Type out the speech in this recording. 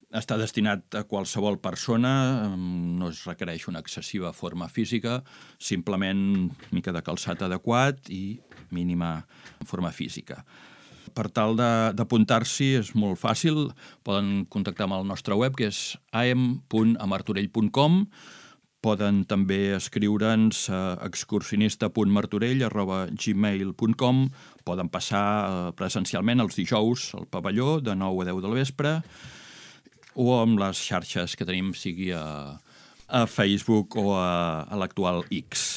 Està destinat a qualsevol persona, no es requereix una excessiva forma física, simplement mica de calçat adequat i mínima forma física. Per tal d'apuntar-s'hi és molt fàcil, poden contactar amb el nostre web, que és am.amartorell.com. Poden també escriure'ns a excursionista.martorell@gmail.com. Poden passar presencialment els dijous al pavelló de 9 a 10 del vespre o amb les xarxes que tenim, sigui a Facebook o a l'actual X.